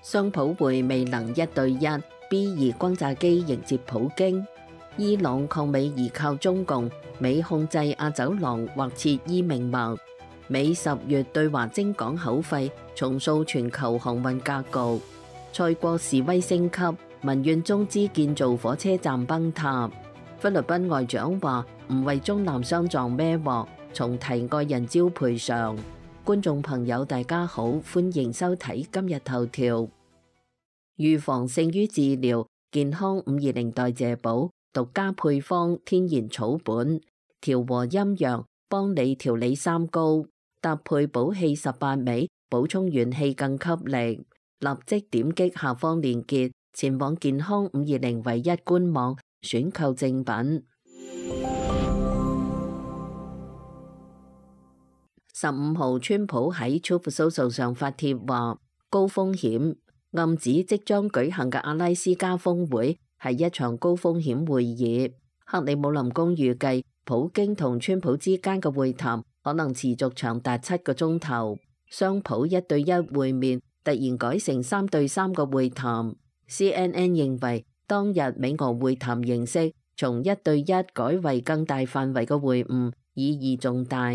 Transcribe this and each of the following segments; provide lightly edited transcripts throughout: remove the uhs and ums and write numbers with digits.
雙普會未能1對1 B2轟炸機迎接普京。伊朗抗美依靠中共，美控制亞走廊或設伊命脈。美10月對華徵港口費，重塑全球航運格局。塞國示威升級，民怨中資建造火車站崩塌。菲律賓外長話唔為中南相撞孭鑊，重提愛人礁賠償。觀眾朋友大家好，歡迎收睇今日頭條。預防勝於治療，健康520代謝寶獨家配方，天然草本，調和陰陽，幫你調理三高，搭配補氣18味，補充元氣更給力。立即點擊下方鏈接，前往健康520唯一官網選購正品。15號，川普喺 Truth Social 上發帖話高風險，暗指即將舉行嘅阿拉斯加峰會係一場高風險會議。克里姆林宮預計普京同川普之間嘅會談可能持續長達7個鐘頭，雙普1對1會面突然改成3對3嘅會談。CNN 認為當日美俄會談形式從1對1改為更大範圍嘅會晤，意義重大。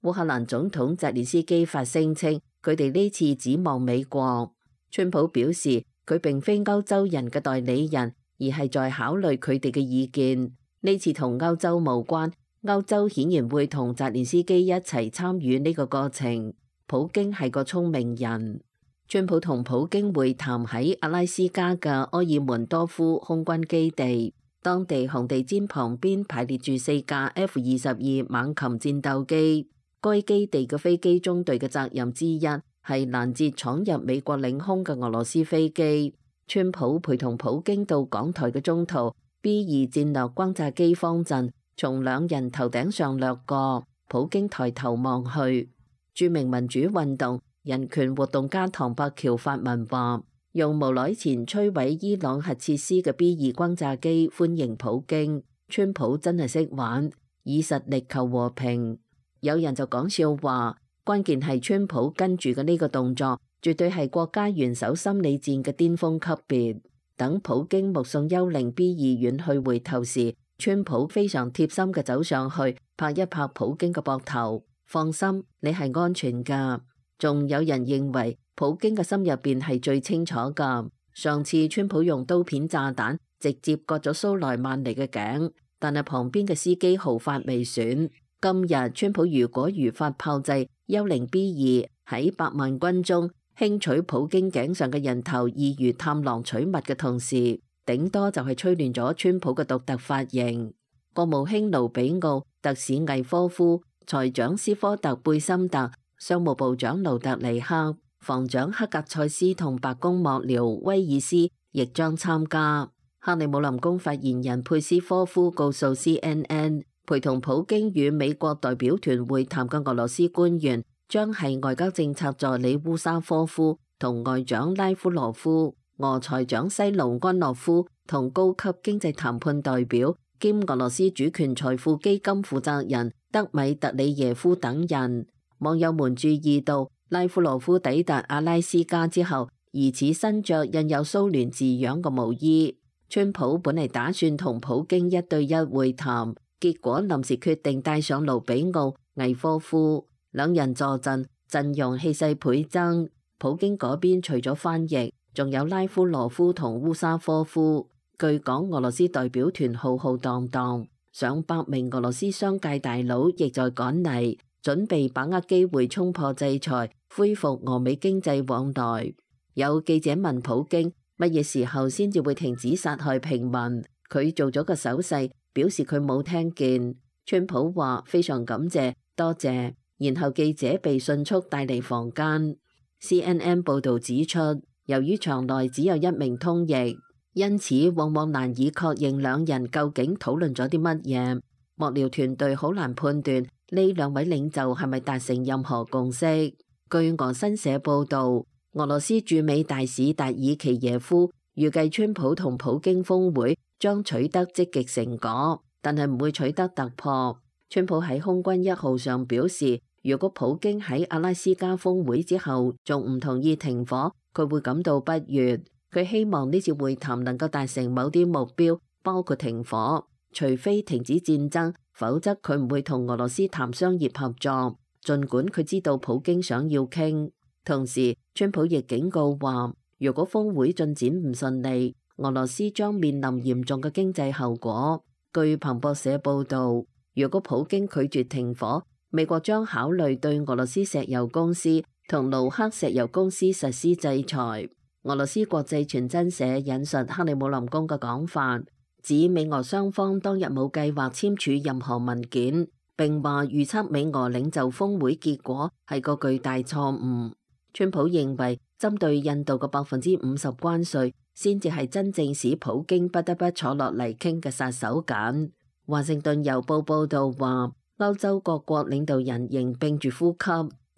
烏克蘭總統澤連斯基發聲稱，佢哋呢次指望美國。川普表示，佢並非歐洲人嘅代理人，而係在考慮佢哋嘅意見。呢次同歐洲無關，歐洲顯然會同澤連斯基一齊參與呢個過程。普京係個聰明人。川普同普京會談喺阿拉斯加嘅埃爾門多夫空軍基地，當地紅地毯旁邊排列住4架 F-22猛禽戰鬥機。該基地嘅飛機中隊嘅責任之一係攔截闖入美國領空嘅俄羅斯飛機。川普陪同普京到港台嘅中途 B2戰略轟炸機方陣從兩人頭頂上掠過，普京抬頭望去。著名民主運動人權活動家唐伯喬發文話，用無耐前摧毀伊朗核設施嘅 B2轟炸機歡迎普京。川普真係識玩，以實力求和平。有人就講笑話，關鍵係川普跟住嘅呢個動作，絕對係國家元首心理戰嘅巔峰級別。等普京目送幽靈 B2遠去回頭時，川普非常貼心嘅走上去，拍一拍普京嘅膊頭，放心，你係安全㗎。仲有人認為普京嘅心入邊係最清楚㗎。上次川普用刀片炸彈直接割咗蘇萊曼尼嘅頸，但係旁邊嘅司機毫髮未損。今日川普如果如法炮製幽靈 B2喺100萬軍中輕取普京頸上嘅人頭，易如探囊取物嘅同時，頂多就係吹亂咗川普嘅獨特髮型。國務卿盧比奧、特使魏科夫、財長斯科特貝森特、商務部長盧特尼克、防長克格塞斯同白宮幕僚威爾斯亦將參加。克里姆林宮發言人佩斯科夫告訴 CNN，陪同普京與美國代表團會談嘅俄羅斯官員將係外交政策助理烏沙科夫同外長拉夫羅夫、俄財長西盧安諾夫同高級經濟談判代表兼俄羅斯主權財富基金負責人德米特里耶夫等人。網友們注意到，拉夫羅夫抵達阿拉斯加之後，疑似身着印有蘇聯字樣嘅毛衣。川普本嚟打算同普京1對1會談。結果臨時決定帶上盧比奧、魏科夫兩人坐鎮，陣容氣勢倍增。普京嗰邊除咗翻譯，仲有拉夫羅夫同烏沙科夫。據講，俄羅斯代表團浩浩蕩蕩，上百名俄羅斯商界大佬亦在趕嚟，準備把握機會衝破制裁，恢復俄美經濟往來。有記者問普京乜嘢時候先至會停止殺害平民，佢做咗個手勢，表示佢冇聽見。川普話非常感謝，多謝。然後記者被迅速帶離房間。CNN 報導指出，由於場內只有一名通譯，因此往往難以確認兩人究竟討論咗啲乜嘢。幕僚團隊好難判斷呢兩位領袖係咪達成任何共識。據俄新社報導，俄羅斯駐美大使達爾奇耶夫預計川普同普京峰會將取得積極成果，但係唔會取得突破。川普喺空軍1號上表示，如果普京喺阿拉斯加峰會之後仲唔同意停火，佢會感到不悅。佢希望呢次會談能夠達成某啲目標，包括停火，除非停止戰爭，否則佢唔會同俄羅斯談商業合作。儘管佢知道普京想要傾，同時川普亦警告話，如果峰會進展唔順利，俄羅斯將面臨嚴重嘅經濟後果。據彭博社報導，如果普京拒絕停火，美國將考慮對俄羅斯石油公司同盧克石油公司實施制裁。俄羅斯國際傳真社引述克里姆林宮嘅講法，指美俄雙方當日冇計劃簽署任何文件，並話預測美俄領袖峰會結果係個巨大錯誤。川普認為針對印度嘅50%關稅先至係真正使普京不得不坐落嚟傾嘅殺手鐧。華盛頓郵報報導話，歐洲各國領導人仍屏住呼吸，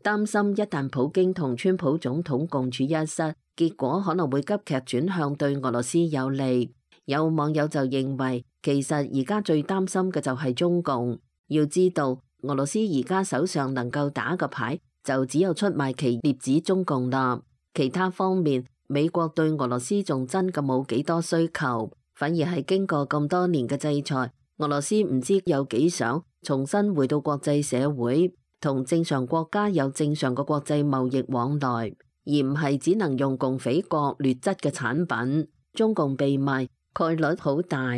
擔心一旦普京同川普總統共處一室，結果可能會急劇轉向對俄羅斯有利。有網友就認為，其實而家最擔心嘅就係中共。要知道，俄羅斯而家手上能夠打嘅牌就只有出賣其劣子中共啦。其他方面，美國對俄羅斯仲真嘅冇幾多需求，反而係經過咁多年嘅制裁，俄羅斯唔知有幾想重新回到國際社會，同正常國家有正常嘅國際貿易往來，而唔係只能用共匪國劣質嘅產品。中共被賣概率好大。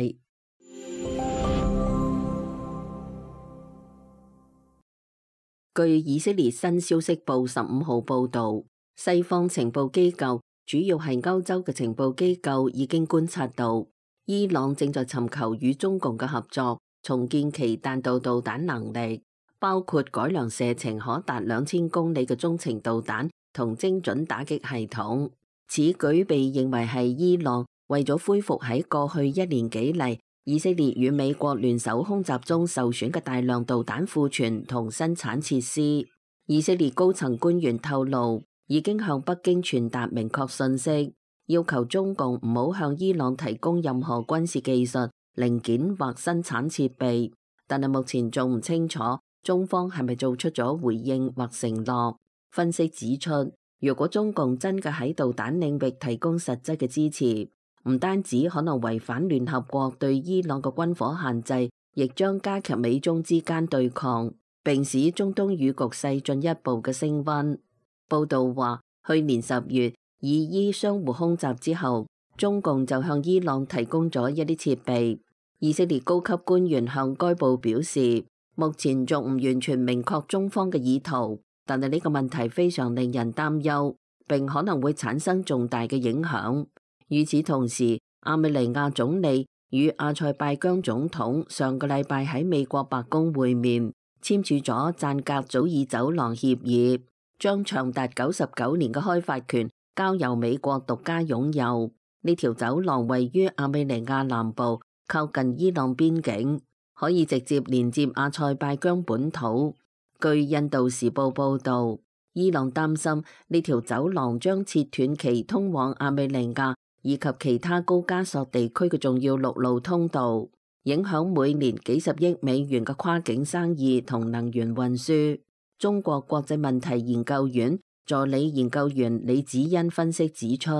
據以色列新消息報15號報導，西方情報機構，主要係歐洲嘅情報機構已經觀察到，伊朗正在尋求與中共嘅合作，重建其彈道導彈能力，包括改良射程可達2000公里嘅中程導彈同精準打擊系統。此舉被認為係伊朗為咗恢復喺過去1年幾嚟以色列與美國聯手空襲中受損嘅大量導彈庫存同生產設施。以色列高層官員透露，已經向北京傳達明確信息，要求中共唔好向伊朗提供任何軍事技術、零件或生產設備。但係目前仲唔清楚中方係咪做出咗回應或承諾。分析指出，如果中共真嘅喺導彈領域提供實質嘅支持，唔單止可能違反聯合國對伊朗嘅軍火限制，亦將加劇美中之間對抗，並使中東與局勢進一步嘅升溫。報道話，去年10月以伊相互空襲之後，中共就向伊朗提供咗一啲設備。以色列高級官員向該報表示，目前仲唔完全明確中方嘅意圖，但係呢個問題非常令人擔憂，並可能會產生重大嘅影響。與此同時，亞美尼亞總理與阿塞拜疆總統上個禮拜喺美國白宮會面，簽署咗贊格祖爾走廊協議，將長達99年嘅開發權交由美國獨家擁有。呢條走廊位於亞美尼亞南部，靠近伊朗邊境，可以直接連接阿塞拜疆本土。據印度時報報導，伊朗擔心呢條走廊將切斷其通往亞美尼亞以及其他高加索地區嘅重要陸路通道，影響每年幾十億美元嘅跨境生意同能源運輸。中國國際問題研究院助理研究員李子欣分析指出，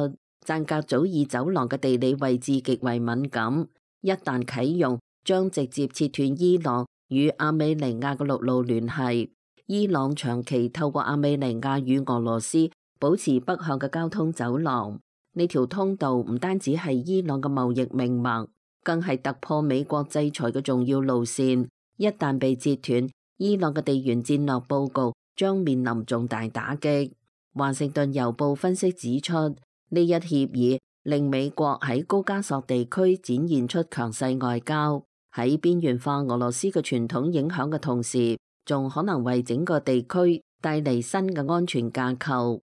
贊格祖爾走廊嘅地理位置極為敏感，一旦啟用，將直接切斷伊朗與亞美尼亞嘅陸路聯繫。伊朗長期透過亞美尼亞與俄羅斯保持北向嘅交通走廊。呢條通道唔單止係伊朗嘅貿易命脈，更係突破美國制裁嘅重要路線。一旦被截斷，伊朗嘅地緣戰略報告將面臨重大打擊。華盛頓郵報分析指出，呢一協議令美國喺高加索地區展現出強勢外交，喺邊緣化俄羅斯嘅傳統影響嘅同時，仲可能為整個地區帶嚟新嘅安全架構。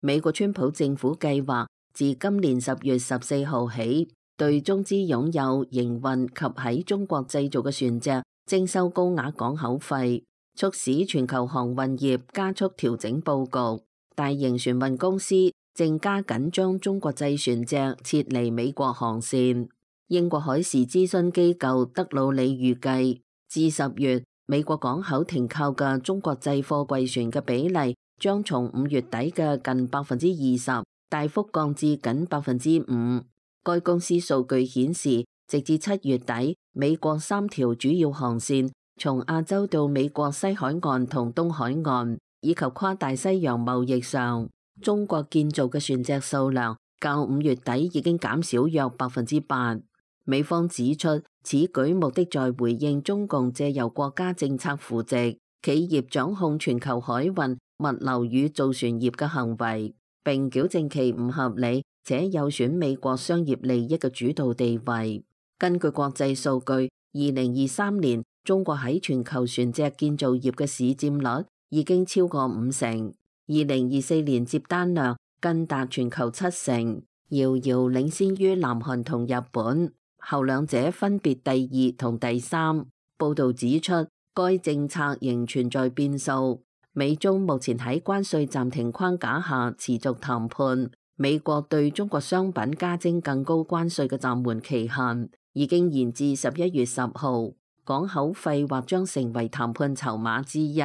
美國川普政府計劃自今年10月14號起，對中資擁有、營運及喺中國製造嘅船隻徵收高額港口費，促使全球航運業加速調整佈局。大型船運公司正加緊將中國製船隻撤離美國航線。英國海事諮詢機構德魯里預計，至10月，美國港口停靠嘅中國製貨櫃船嘅比例將從5月底嘅近20%大幅降至僅5%。該公司數據顯示，直至7月底，美國3條主要航線從亞洲到美國西海岸同東海岸，以及跨大西洋貿易上，中國建造嘅船隻數量較5月底已經減少約8%。美方指出，此舉目的在回應中共借由國家政策扶植企業掌控全球海運、物流與造船業嘅行為，並矯正其唔合理且有損美國商業利益嘅主導地位。根據國際數據，2023年中國喺全球船隻建造業嘅市佔率已經超過50%， 2024年接單量更達全球70%，遙遙領先於南韓同日本。後兩者分別第2同第3。報導指出，該政策仍存在變數。美中目前喺關稅暫停框架下持續談判。美國對中國商品加徵更高關稅嘅暫緩期限已經延至11月10號。港口費或將成為談判籌碼之一。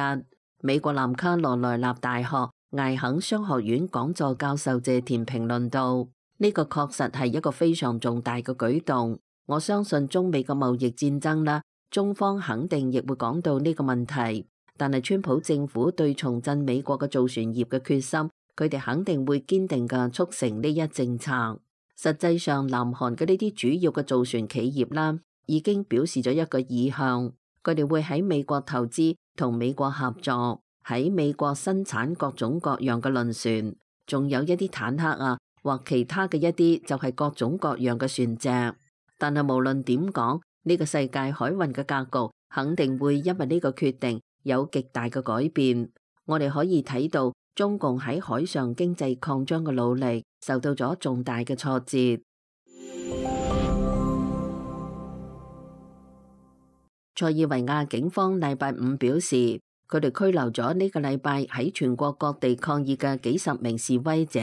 美國南卡羅來納大學艾肯商學院講座教授謝田評論道：呢個確實係一個非常重大嘅舉動。我相信中美嘅貿易戰爭啦，中方肯定亦會講到呢個問題。但係川普政府對重振美國嘅造船業嘅決心，佢哋肯定會堅定嘅促成呢一政策。實際上，南韓嘅呢啲主要嘅造船企業啦，已經表示咗一個意向，佢哋會喺美國投資同美國合作，喺美國生產各種各樣嘅輪船，仲有一啲坦克啊，或其他嘅一啲就係各種各樣嘅船隻。但係無論點講，呢個世界海運嘅格局肯定會因為呢個決定有極大嘅改變。我哋可以睇到中共喺海上經濟擴張嘅努力受到咗重大嘅挫折。塞爾維亞警方禮拜5表示，佢哋拘留咗呢個禮拜喺全國各地抗議嘅幾十名示威者。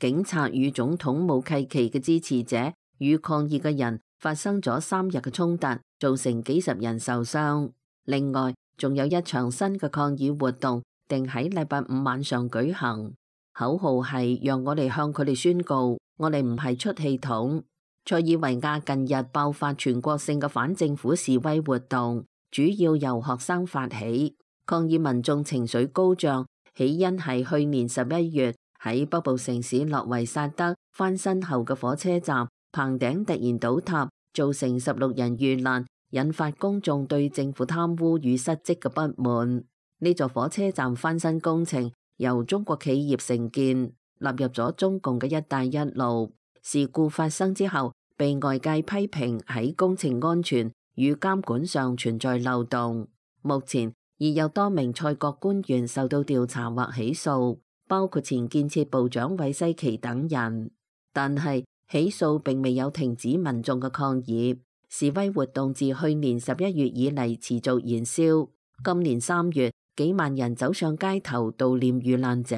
警察與總統武契奇嘅支持者與抗議嘅人發生咗3日嘅衝突，造成幾十人受傷。另外，仲有一場新嘅抗議活動定喺禮拜5晚上舉行，口號係讓我哋向佢哋宣告，我哋唔係出氣筒。塞爾維亞近日爆發全國性嘅反政府示威活動，主要由學生發起。抗議民眾情緒高漲，起因係去年11月喺北部城市諾維薩德翻新後嘅火車站棚頂突然倒塌，造成16人遇難，引發公眾對政府貪污與失職嘅不滿。呢座火車站翻新工程由中國企業承建，納入咗中共嘅一帶一路。事故發生之後，被外界批評喺工程安全與監管上存在漏洞。目前已有多名塞國官員受到調查或起訴，包括前建設部長韋西奇等人。但係起訴並未有停止民眾嘅抗議，示威活動自去年11月以嚟持續燃燒。今年3月，幾萬人走上街頭悼念遇難者。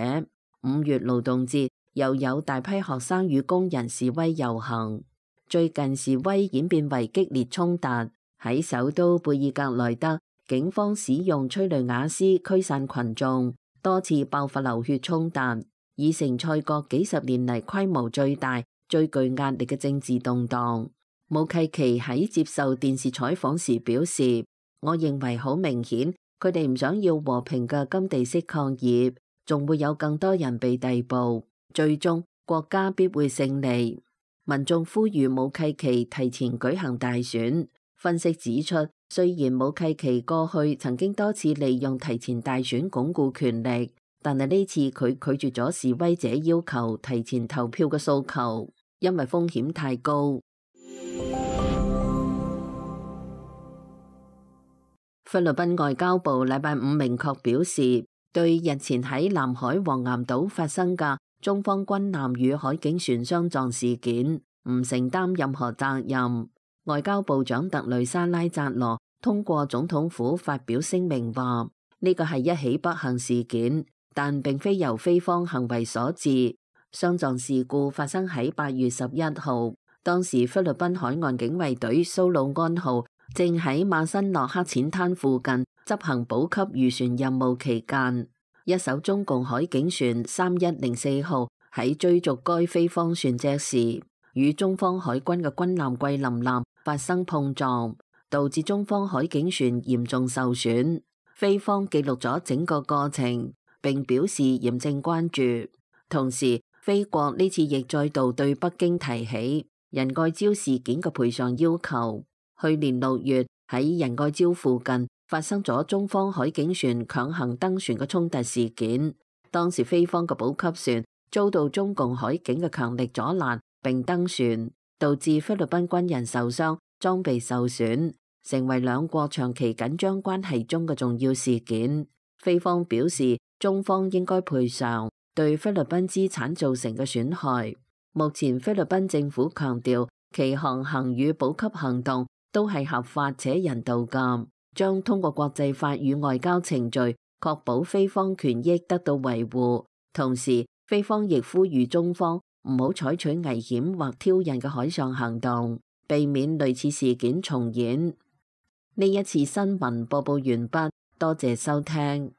5月勞動節又有大批學生與工人示威遊行。最近示威演變為激烈衝突，喺首都貝爾格萊德，警方使用催淚瓦斯驅散群眾，多次爆發流血衝突，已成塞國幾十年嚟規模最大、最具壓力嘅政治動盪。武契奇喺接受電視採訪時表示：我認為好明顯，佢哋唔想要和平嘅甘地式抗議，仲會有更多人被逮捕，最終國家必會勝利。民眾呼籲武契奇提前舉行大選。分析指出，雖然武契奇過去曾經多次利用提前大選鞏固權力，但係呢次佢拒絕咗示威者要求提前投票嘅訴求，因為風險太高。菲律賓外交部禮拜5明確表示，對日前喺南海黃岩島發生嘅中方軍艦與海警船相撞事件，唔承擔任何責任。外交部長特雷莎拉扎羅通過總統府發表聲明話，呢個係一起不幸事件，但並非由菲方行為所致。相撞事故發生喺8月11號，當時菲律賓海岸警衛隊蘇魯安號正喺馬辛諾克淺灘附近執行補給漁船任務期間，一艘中共海警船3104號喺追逐該菲方船隻時，與中方海軍嘅軍艦桂林艦發生碰撞，導致中方海警船嚴重受損。菲方記錄咗整個過程，並表示嚴正關注。同時，菲國呢次亦再度對北京提起仁愛礁事件嘅賠償要求。去年6月喺仁愛礁附近發生咗中方海警船強行登船嘅衝突事件，當時菲方嘅補給船遭到中共海警嘅強力阻攔並登船，導致菲律賓軍人受傷、裝備受損，成為兩國長期緊張關係中嘅重要事件。菲方表示，中方應該賠償對菲律賓資產造成嘅損害。目前菲律賓政府強調，其航行與補給行動都係合法且人道嘅，將通過國際法與外交程序確保菲方權益得到維護。同時，菲方亦呼籲中方唔好採取危險或挑釁嘅海上行動，避免類似事件重演。呢一次新聞播報完畢，多謝收聽。